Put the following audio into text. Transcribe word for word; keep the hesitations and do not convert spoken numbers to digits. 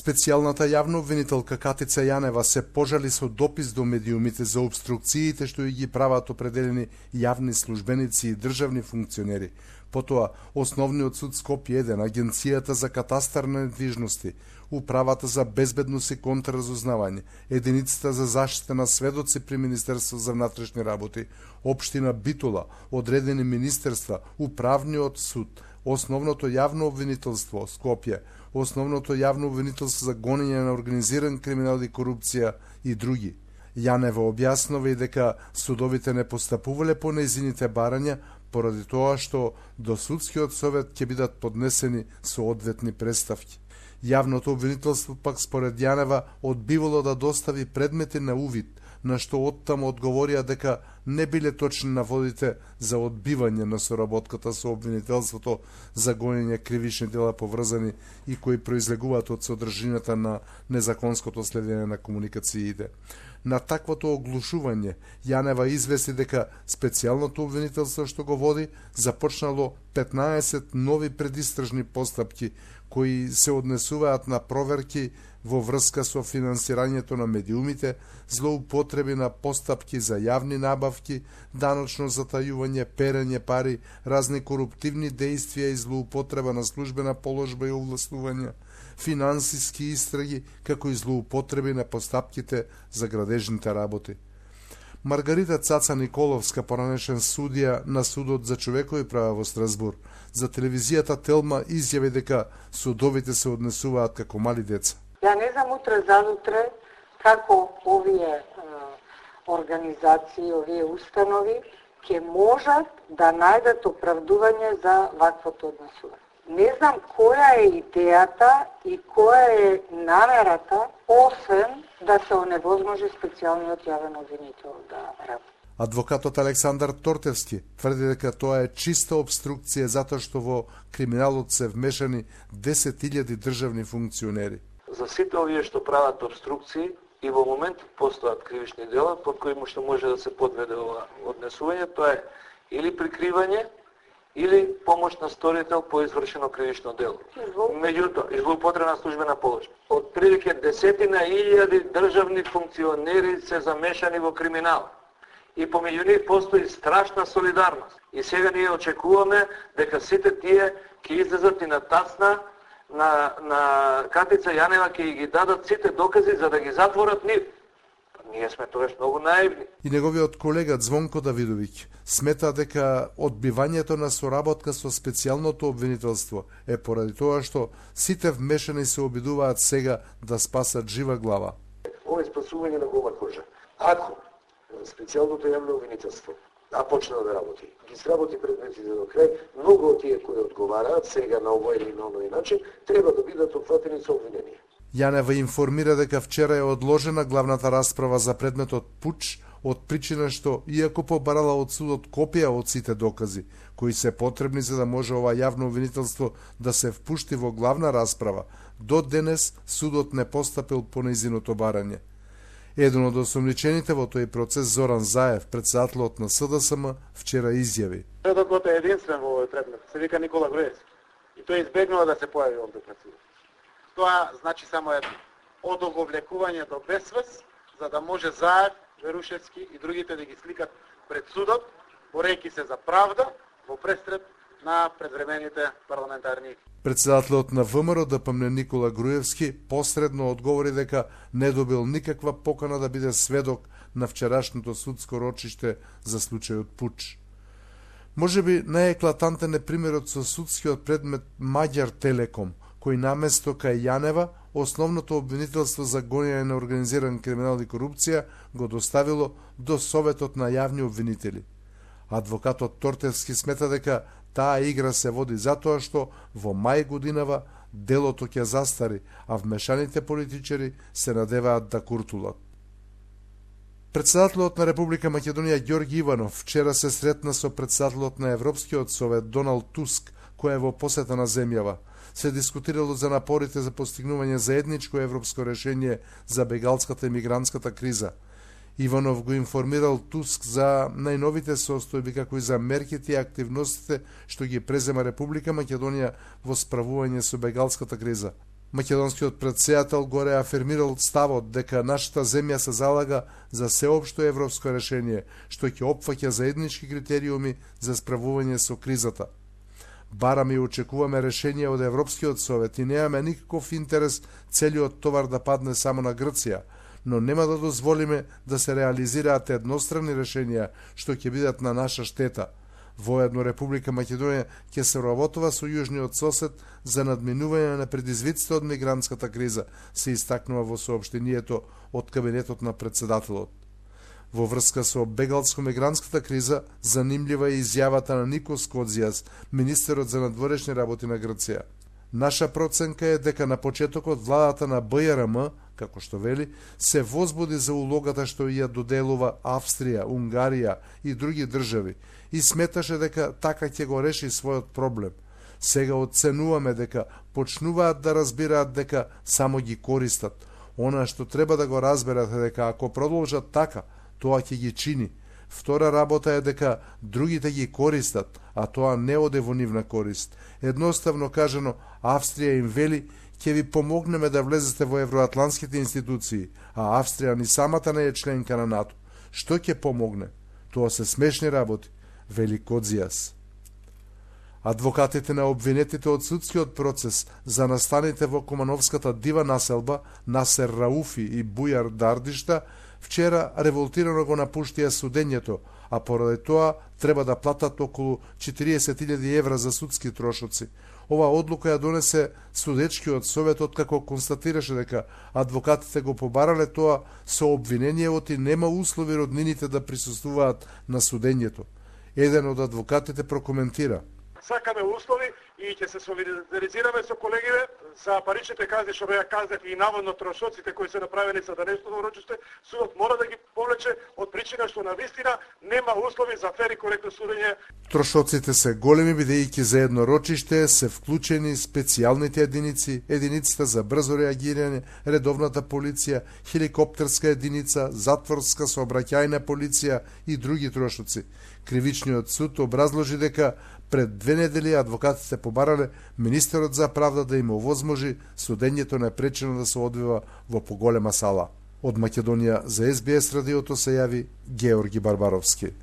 Специјалната јавна обвинителка Катица Јанева се пожали со допис до медиумите за обструкциите што ги прават определени јавни службеници и државни функционери. Потоа, Основниот суд Скопје еден, Агенцијата за катастар на недвижности, Управата за безбедност и контраразузнавање, Единицата за заштита на сведоци при Министерство за внатрешни работи, Општина Битола, одредени министерства, Управниот суд, Основното јавно обвинителство Скопје, Основното јавно обвинителство за гонење на организиран криминал и корупција и други. Јанева објаснува и дека судовите не постапувале по нејзините барања поради тоа што до судскиот совет ќе бидат поднесени соодветни представки. Јавното обвинителство пак според Јанева одбивало да достави предмети на увид, на што оттаму одговорија дека не биле точни наводите за одбивање на соработката со обвинителството за гонење кривични дела поврзани и кои произлегуваат од содржината на незаконското следење на комуникациите. На таквото оглушување, Јанева извести дека специјалното обвинителство што го води започнало петнаесет нови предистражни постапки кои се однесуваат на проверки во врска со финансирањето на медиумите, злоупотреби на постапки за јавни набавки, даночно затајување, перење пари, разни коруптивни дејствија и злоупотреба на службена положба и овластувања, финансиски истраги, како и злоупотреби на постапките за градежните работи. Маргарита Цаца Николовска, поранешен судија на Судот за човекови права во Страсбур, за телевизијата Телма изјави дека судовите се однесуваат како мали деца. Ја не знам утре задутре како овие е, организации, овие установи ќе можат да најдат оправдување за ваквото однесување. Не знам која е идејата и која е намерата, освен да се оневозможи специјалниот јавен обвинител да работи. Адвокатот Александар Тортевски тврди дека тоа е чиста обструкција затоа што во криминалот се вмешани десет илјади државни функционери. За сите овие што прават обструкции и во моментот постојат кривични дела под кои што може да се подведе ова однесување, тоа е или прикривање или помош на сторител по извршено кривично дело. Меѓутоа, злоупотреба на службена положба. Од прилike десетина илјади државни функционери се замешани во криминал. И помеѓу нив постои страшна солидарност. И сега ние очекуваме дека сите тие ќе излезат и на тацна на, на Катица Јанева, ќе ги дадат сите докази за да ги затворат нив. Ние сме тогаш многу наивни. И неговиот колега Звонко Давидовиќ смета дека одбивањето на соработка со специјалното обвинителство е поради тоа што сите вмешани се обидуваат сега да спасат жива глава. Ова е спасување на гола кожа. Ако специјалното јавно обвинителство да почне да работи, ги сработи предметите до крај, многу од тие кои одговараат сега на овој или на оној начин треба да бидат опфатени со обвинение. Јанева информира дека вчера е одложена главната расправа за предметот пуч од причина што, иако побарала од судот копија од сите докази, кои се потребни за да може ова јавно обвинителство да се впушти во главна расправа, до денес судот не постапил по нејзиното барање. Еден од осомничените во тој процес, Зоран Заев, претседателот на С Д С М, вчера изјави. Сведокот е единствен во овој предмет, се вика Никола Груевски. И тој избегнува да се појави овде пред судот. Тоа значи само едно, одоговлекување до безсвест, за да може Заев, Верушевски и другите да ги сликат пред судот, борејќи се за правда во престрет на предвремените парламентарни. Председателот на В М Р Д П М Никола Груевски посредно одговори дека не добил никаква покана да биде сведок на вчерашното судско рочиште за случајот пуч. Можеби најеклатантен е примерот со судскиот предмет Маѓар Телеком, кој наместо кај Јанева, основното обвинителство за гонење на организиран криминал и корупција го доставило до Советот на јавни обвинители. Адвокатот Тортевски смета дека таа игра се води затоа што во мај годинава делото ќе застари, а вмешаните политичари се надеваат да куртулат. Председателот на Република Македонија Ѓорги Иванов вчера се сретна со председателот на Европскиот совет Доналд Туск, кој е во посета на земјава. Се дискутирало за напорите за постигнување заедничко европско решение за бегалската и мигрантската криза. Иванов го информирал Туск за најновите состојби, како и за мерките и активностите што ги презема Република Македонија во справување со бегалската криза. Македонскиот претседател го реафирмирал ставот дека нашата земја се залага за сеопшто европско решение, што ќе опфаќа заеднички критериуми за справување со кризата. Бараме и очекуваме решение од Европскиот совет и немаме никаков интерес целиот товар да падне само на Грција, но нема да дозволиме да се реализираат едностранни решенија што ќе бидат на наша штета. Воедно Република Македонија ќе се работува со јужниот сосед за надминување на предизвиците од мигрантската криза, се истакнува во соопштението од кабинетот на претседателот. Во врска со бегалско-мигрантската криза, занимљива е изјавата на Никос Кодзијас, министерот за надворешни работи на Грција. Наша проценка е дека на почетокот владата на Б Р М, како што вели, се возбуди за улогата што ја доделува Австрија, Унгарија и други држави и сметаше дека така ќе го реши својот проблем. Сега оценуваме дека почнуваат да разбираат дека само ги користат. Она што треба да го разберат е дека ако продолжат така, тоа ќе ги чини. Втора работа е дека другите ги користат, а тоа не оде во нивна корист. Едноставно кажано, Австрија им вели, ќе ви помогнеме да влезете во евроатлантските институции, а Австрија ни самата не е членка на НАТО. Што ќе помогне? Тоа се смешни работи, вели Кодзијас. Адвокатите на обвинетите од судскиот процес за настаните во Кумановската дива населба Насер Рауфи и Бујар Дардишта вчера револтирано го напуштија судењето, а поради тоа треба да платат околу четириесет илјади евра за судски трошоци. Ова одлука ја донесе судечкиот совет откако констатираше дека адвокатите го побарале тоа со обвиненијевот и нема услови роднините да присуствуваат на судењето. Еден од адвокатите прокоментира: сакаме услови и ќе се солидаризираме со колегиве за паричните казни што беа казнати и наводно трошоците кои се направени за денешното рочиште. Судот мора да ги повлече од причина што навистина нема услови за фер и коректно судење. Трошоците се големи бидејќи за едно рочиште се вклучени специјалните единици, единиците за брзо реагирање, редовната полиција, хеликоптерска единица, затворска сообраќајна полиција и други трошоци. Кривичниот суд образложи дека пред две недели адвокатите побарале министерот за правда да им овозможи судењето непречено да се одвива во поголема сала. Од Македонија за Ес Би Ес радиото се јави Георги Барбаровски.